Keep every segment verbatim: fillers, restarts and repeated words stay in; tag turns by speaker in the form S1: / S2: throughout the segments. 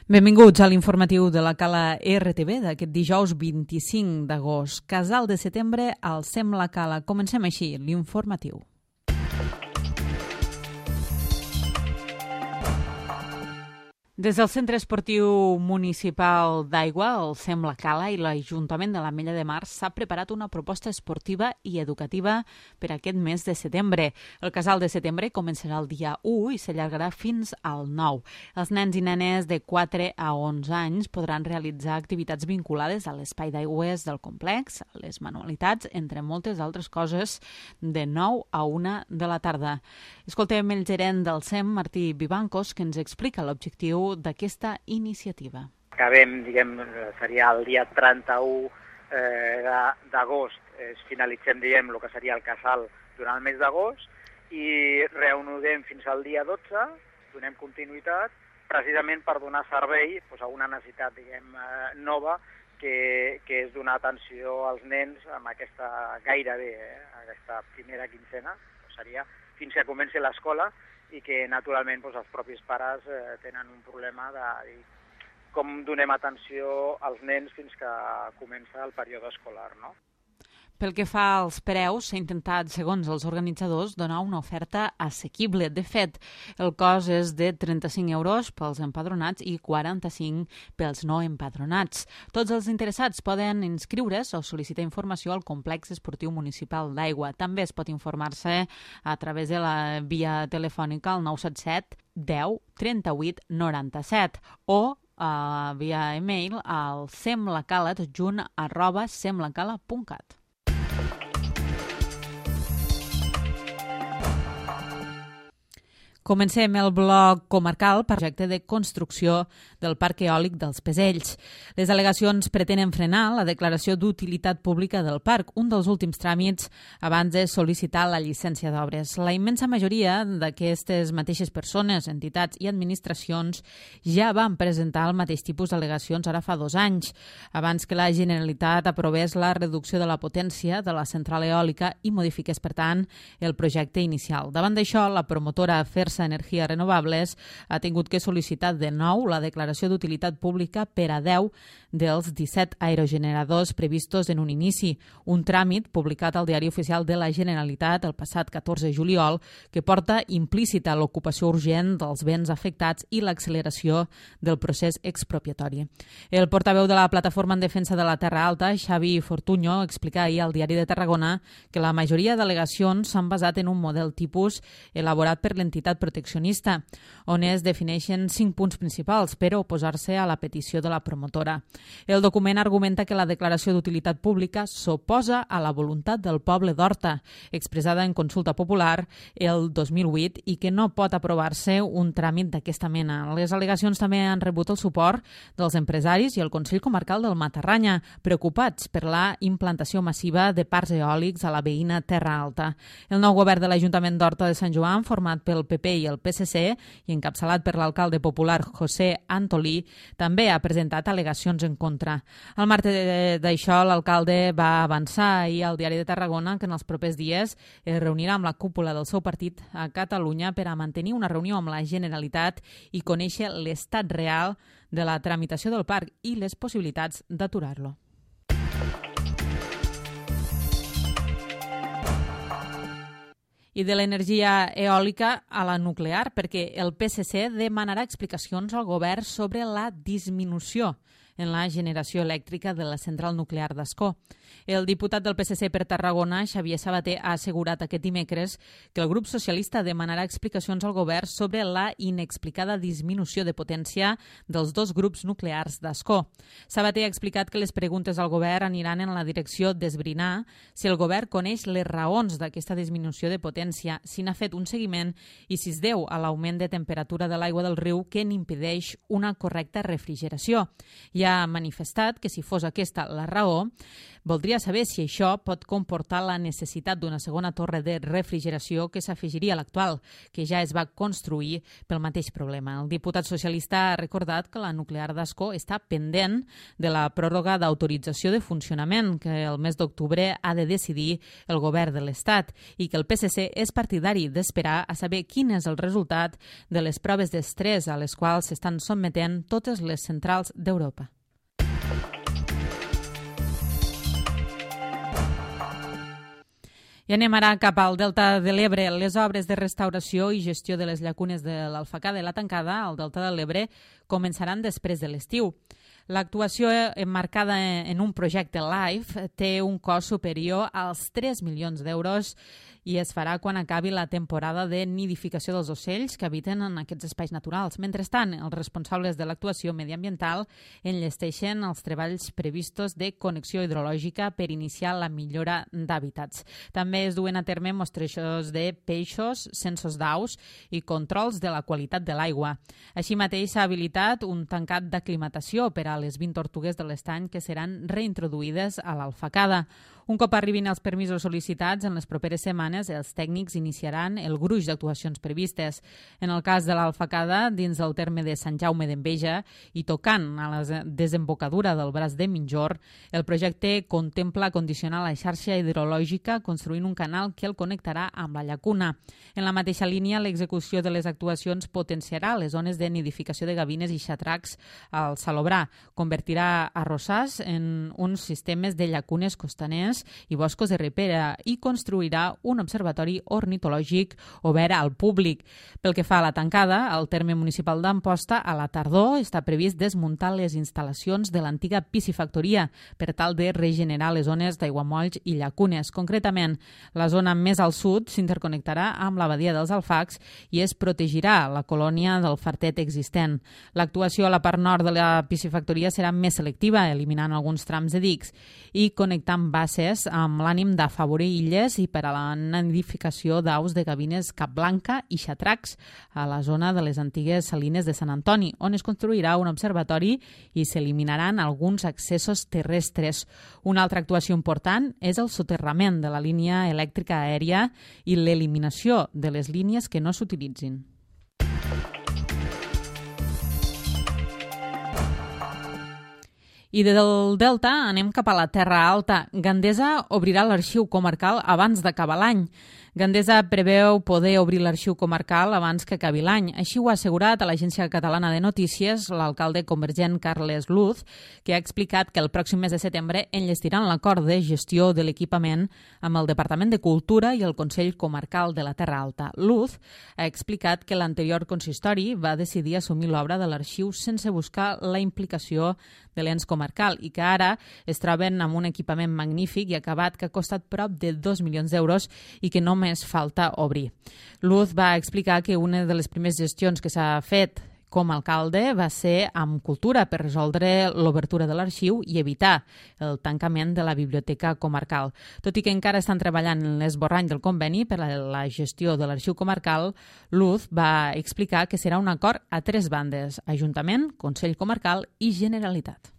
S1: Benvinguts a l'informatiu de la Cala R T V d'aquest dijous vint-i-cinc d'agost. Casal de setembre al Sem la Cala. Comencem així l'informatiu. Des del Centre Esportiu Municipal d'Aigua, el Sem la Cala i l'Ajuntament de l'Ametlla de Mar s'ha preparat una proposta esportiva i educativa per aquest mes de setembre. El Casal de setembre començarà el dia u i s'allargarà fins al nou. Els nens i nenes de quatre a onze anys podran realitzar activitats vinculades a l'espai d'aigües del complex, a les manualitats, entre moltes altres coses, de nou a una de la tarda. Escoltem el gerent del Sem, Martí Vivancos, que ens explica l'objectiu d'aquesta iniciativa.
S2: Acabem, diguem, seria el dia trenta-u eh, d'agost, eh, finalitzem, diguem, el que seria el casal durant el mes d'agost i reanudem fins al dia dotze, donem continuïtat, precisament per donar servei doncs, a una necessitat, diguem, eh, nova, que, que és donar atenció als nens amb aquesta gairebé, eh, aquesta primera quinzena, seria fins que comenci l'escola, i que naturalment doncs, els propis pares eh, tenen un problema de dir com donem atenció als nens fins que comença el període escolar, no?
S1: Pel que fa als preus, s'ha intentat, segons els organitzadors, donar una oferta assequible. De fet, el cost és de trenta-cinc euros pels empadronats i quaranta-cinc pels no empadronats. Tots els interessats poden inscriure's o sol·licitar informació al Complex Esportiu Municipal d'Aigua. També es pot informar-se a través de la via telefònica al nou set set deu trenta-vuit noranta-set o uh, via e-mail al semlacaladjunt arroba semlacala punt cat. Comencem el bloc comarcal per projecte de construcció del Parc Eòlic dels Pesells. Les al·legacions pretenen frenar la declaració d'utilitat pública del parc, un dels últims tràmits abans de sol·licitar la llicència d'obres. La immensa majoria d'aquestes mateixes persones, entitats i administracions ja van presentar el mateix tipus d'al·legacions ara fa dos anys, abans que la Generalitat aprovés la reducció de la potència de la central eòlica i modifiqués, per tant, el projecte inicial. Davant d'això, la promotora Fersa Energies Renovables ha tingut que sol·licitar de nou la declaració d'utilitat pública per a deu dels disset aerogeneradors previstos en un inici, un tràmit publicat al Diari Oficial de la Generalitat el passat catorze de juliol que porta implícita l'ocupació urgent dels béns afectats i l'acceleració del procés expropiatori. El portaveu de la Plataforma en Defensa de la Terra Alta, Xavi Fortuño, explica ahir al Diari de Tarragona que la majoria d'al·legacions s'han basat en un model tipus elaborat per l'entitat proteccionista, on es defineixen cinc punts principals per oposar-se a la petició de la promotora. El document argumenta que la declaració d'utilitat pública s'oposa a la voluntat del poble d'Horta, expressada en consulta popular el dos mil vuit, i que no pot aprovar-se un tràmit d'aquesta mena. Les al·legacions també han rebut el suport dels empresaris i el Consell Comarcal del Matarranya, preocupats per la implantació massiva de parcs eòlics a la veïna Terra Alta. El nou govern de l'Ajuntament d'Horta de Sant Joan, format pel P P i el P S C i encapçalat per l'alcalde popular José Antolí, també ha presentat al·legacions en contra. Al marge d'això, l'alcalde va avançar ahir al Diari de Tarragona que en els propers dies es reunirà amb la cúpula del seu partit a Catalunya per a mantenir una reunió amb la Generalitat i conèixer l'estat real de la tramitació del parc i les possibilitats d'aturar-lo. I de l'energia eòlica a la nuclear, perquè el P S C demanarà explicacions al govern sobre la disminució en la generació elèctrica de la central nuclear d'Ascó. El diputat del P S C per Tarragona, Xavier Sabater, ha assegurat aquest dimecres que el grup socialista demanarà explicacions al govern sobre la inexplicada disminució de potència dels dos grups nuclears d'Ascó. Sabater ha explicat que les preguntes al govern aniran en la direcció d'esbrinar si el govern coneix les raons d'aquesta disminució de potència, si n'ha fet un seguiment i si es deu a l'augment de temperatura de l'aigua del riu que n'impedeix una correcta refrigeració. I ja ha manifestat que si fos aquesta la raó, voldria saber si això pot comportar la necessitat d'una segona torre de refrigeració que s'afegiria a l'actual, que ja es va construir pel mateix problema. El diputat socialista ha recordat que la nuclear d'Ascó està pendent de la pròrroga d'autorització de funcionament que el mes d'octubre ha de decidir el govern de l'Estat i que el P S C és partidari d'esperar a saber quin és el resultat de les proves d'estrès a les quals s'estan sotmetent totes les centrals d'Europa. I anem ara cap al Delta de l'Ebre. Les obres de restauració i gestió de les llacunes de l'Alfacada i la Tancada al Delta de l'Ebre començaran després de l'estiu. L'actuació emmarcada en un projecte LIFE té un cost superior als tres milions d'euros i es farà quan acabi la temporada de nidificació dels ocells que habiten en aquests espais naturals. Mentrestant, els responsables de l'actuació mediambiental enllesteixen els treballs previstos de connexió hidrològica per iniciar la millora d'hàbitats. També es duen a terme mostrejos de peixos, censos d'aus i controls de la qualitat de l'aigua. Així mateix s'ha habilitat un tancat d'aclimatació per a les vint tortugues de l'estany que seran reintroduïdes a l'Alfacada. Un cop arribin els permisos sol·licitats, en les properes setmanes els tècnics iniciaran el gruix d'actuacions previstes. En el cas de l'Alfacada, dins del terme de Sant Jaume d'Enveja i tocant a la desembocadura del braç de Minjor, el projecte contempla condicionar la xarxa hidrològica construint un canal que el connectarà amb la llacuna. En la mateixa línia, l'execució de les actuacions potenciarà les zones de nidificació de gavines i xatracs al Salobrar, convertirà arrossars en uns sistemes de llacunes costaners i boscos de ripera i construirà un observatori ornitològic obert al públic. Pel que fa a la Tancada, al terme municipal d'Amposta, a la tardor està previst desmuntar les instal·lacions de l'antiga piscifactoria per tal de regenerar les zones d'aiguamolls i llacunes. Concretament, la zona més al sud s'interconnectarà amb la badia dels Alfacs i es protegirà la colònia del fartet existent. L'actuació a la part nord de la piscifactoria serà més selectiva, eliminant alguns trams de dics i connectant basses amb l'ànim d'afavorir illes i per a la nidificació d'aus de gavines capblanca i xatracs a la zona de les antigues salines de Sant Antoni, on es construirà un observatori i s'eliminaran alguns accessos terrestres. Una altra actuació important és el soterrament de la línia elèctrica aèria i l'eliminació de les línies que no s'utilitzin. I del Delta anem cap a la Terra Alta. Gandesa obrirà l'arxiu comarcal abans d'acabar l'any. Gandesa preveu poder obrir l'arxiu comarcal abans que acabi l'any. Així ho ha assegurat a l'Agència Catalana de Notícies l'alcalde convergent Carles Luz, que ha explicat que el pròxim mes de setembre enllestiran l'acord de gestió de l'equipament amb el Departament de Cultura i el Consell Comarcal de la Terra Alta. Luz ha explicat que l'anterior consistori va decidir assumir l'obra de l'arxiu sense buscar la implicació de l'ens comarcal i que ara es troben amb un equipament magnífic i acabat que ha costat prop de dos milions d'euros i que només falta obrir. Luz va explicar que una de les primeres gestions que s'ha fet com a alcalde va ser amb Cultura per resoldre l'obertura de l'arxiu i evitar el tancament de la biblioteca comarcal. Tot i que encara estan treballant en l'esborrany del conveni per a la gestió de l'arxiu comarcal, Luz va explicar que serà un acord a tres bandes: Ajuntament, Consell Comarcal i Generalitat.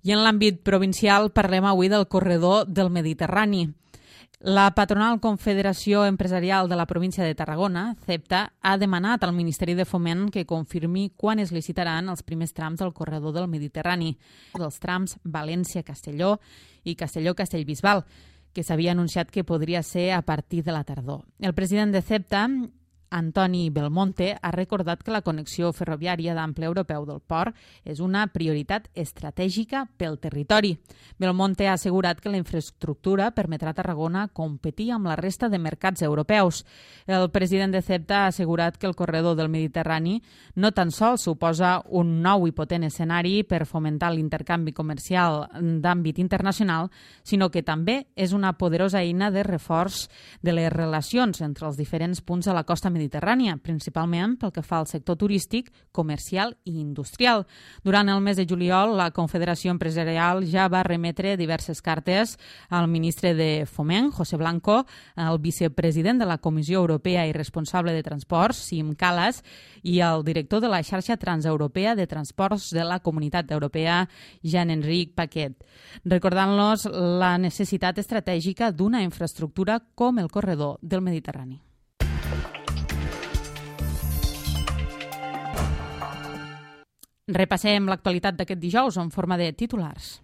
S1: I en l'àmbit provincial parlem avui del corredor del Mediterrani. La patronal Confederació Empresarial de la província de Tarragona, CEPTA, ha demanat al Ministeri de Foment que confirmi quan es licitaran els primers trams del corredor del Mediterrani, dels trams València-Castelló i Castelló-Castellbisbal, que s'havia anunciat que podria ser a partir de la tardor. El president de CEPTA, Antoni Belmonte, ha recordat que la connexió ferroviària d'ample europeu del port és una prioritat estratègica pel territori. Belmonte ha assegurat que la infraestructura permetrà a Tarragona competir amb la resta de mercats europeus. El president de CEPTA ha assegurat que el corredor del Mediterrani no tan sols suposa un nou i potent escenari per fomentar l'intercanvi comercial d'àmbit internacional, sinó que també és una poderosa eina de reforç de les relacions entre els diferents punts de la costa mediterrània Mediterrània, principalment pel que fa al sector turístic, comercial i industrial. Durant el mes de juliol, la Confederació Empresarial ja va remetre diverses cartes al ministre de Foment, José Blanco, al vicepresident de la Comissió Europea i responsable de Transports, Siim Kallas, i al director de la xarxa transeuropea de transports de la Comunitat Europea, Jean-Enric Paquet, recordant-los la necessitat estratègica d'una infraestructura com el corredor del Mediterrani. Repassem l'actualitat d'aquest dijous en forma de titulars.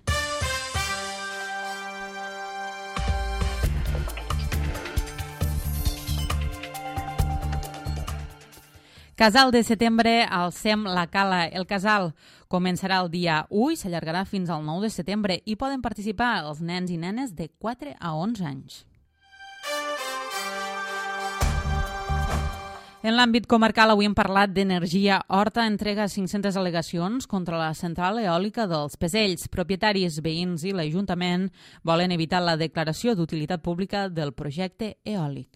S1: Casal de setembre al C E M La Cala. El casal començarà el dia u i s'allargarà fins al nou de setembre i poden participar els nens i nenes de quatre a onze anys. En l'àmbit comarcal avui hem parlat d'energia. Horta entrega cinc-centes al·legacions contra la central eòlica dels Pesells. Propietaris, veïns i l'Ajuntament volen evitar la declaració d'utilitat pública del projecte eòlic.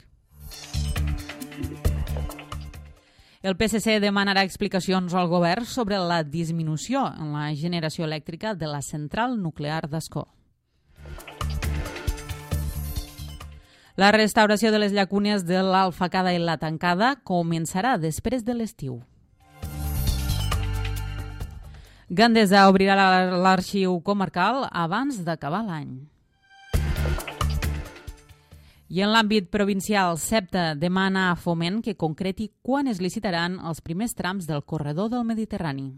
S1: El P S C demanarà explicacions al govern sobre la disminució en la generació elèctrica de la central nuclear d'Ascó. La restauració de les llacunes de l'Alfacada i la Tancada començarà després de l'estiu. Gandesa obrirà l'arxiu comarcal abans d'acabar l'any. I en l'àmbit provincial, SEPTA demana a Foment que concreti quan es licitaran els primers trams del corredor del Mediterrani.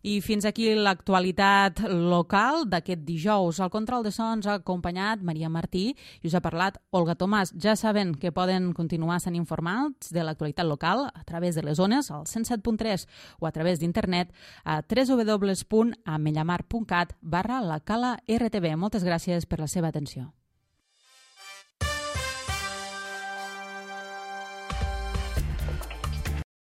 S1: I fins aquí l'actualitat local d'aquest dijous. Al control de sons ha acompanyat Maria Martí i us ha parlat Olga Tomàs. Ja saben que poden continuar sent informats de l'actualitat local a través de les ones, al cent set punt tres o a través d'internet a w w w punt amellamar punt cat barra la cala R T V. Moltes gràcies per la seva atenció.